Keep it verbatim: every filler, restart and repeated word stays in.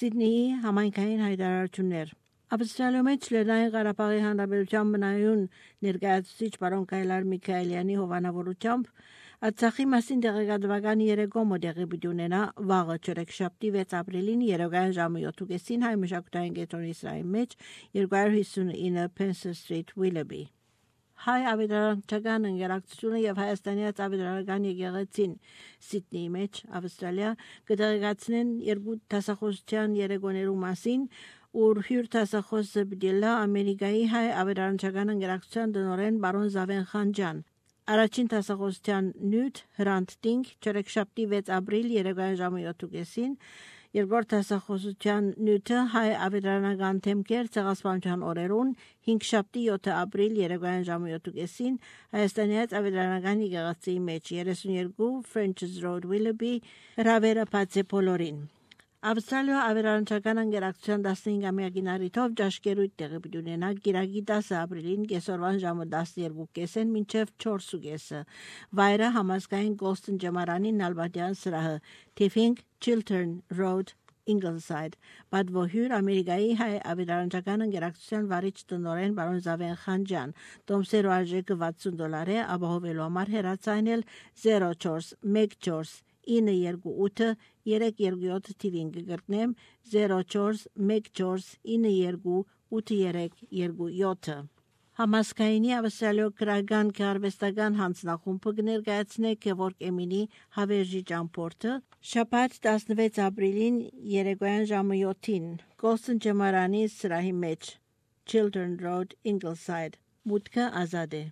Սիդնեի համայնքային հայտարարություններ Ավստրալիայում Լեռնային Ղարաբաղի Հանրապետության մնայուն ներկայացուցիչ պարոն Կայլար Միքայելյանի հովանավորությամբ Արցախի մասին տեղեկատվական երեկոմը տեղի պիտի ունենա վաղը չորեքշաբթի վեց ապրիլին երեկոյան ժամը յոթ հայ մշակութային կենտրոնի սրահի մեջ երկու հիսունինը Spencer Street, Willoughby Հայ ավետարանչական ընկերակցությունը եւ Հայաստանյան ավետարանական եկեղեցին Սիդնեի մեջ Ավստրալիա կտեղեկացնեն երկու դասախոսության երեկոներու մասին ուր հյուր դասախոսը բդիլա Ամերիկայի հայ ավետարանչական ընկերակցության տնօրեն բարոն Զավեն Խանջան Առաջին դասախոսության նյութ Հրանտ Տինգ չորեքշաբթի վեց ապրիլ երեկոյան ժամը յոթ Երկրորդ դասախոսության նյութը հայ ավետարանական թեմքեր ցեղասպանության օրերուն հինգշաբթի յոթ ապրիլ երեկոյան ժամը յոթ Հայաստանյան ավետարանական եկեղեցիի մեջ երեսունյերկու French's Road Willoughby հրավերը բացե բոլորին Ավստրալիա ավետարանչական ընկերակցության տասնհինգամյակին առիթով ճաշկերույթ տեղի պիտի ունենա գիրագի տասը ապրիլին կեսօրվան ժամը տասներկու կեսին մինչև չորս Վայրը համազգային Գոլստոն ջամարանի Նալբանդյան սրահը Tiffin Chiltern Road Ingleside Բադվոհյուր Ամերիկայի հայ ավետարանչական ընկերակցության վարիչ տնօրեն բարոն Զավեն Խանջան Տոմսերու արժեքը վաթսուն դոլար է ապահովելու համար հեռացանել zero four one four ինը երկու ութ երեք երկու յոթ թիվին կգրտնեմ zero four one four ինը երկու ութ երեք երկու յոթ Համասկայնի Ավստրալիո քրական քարվեստական հանձնախումբը կներկայացնե Գևորգ Էմինի հավերժի ճամփորդը շաբաթ տասնվեց ապրիլին երեկոյան ժամը յոթին Գոլստոն ջամարանի սրահի մեջ Chiltern Road Ingleside մուտքը ազատ է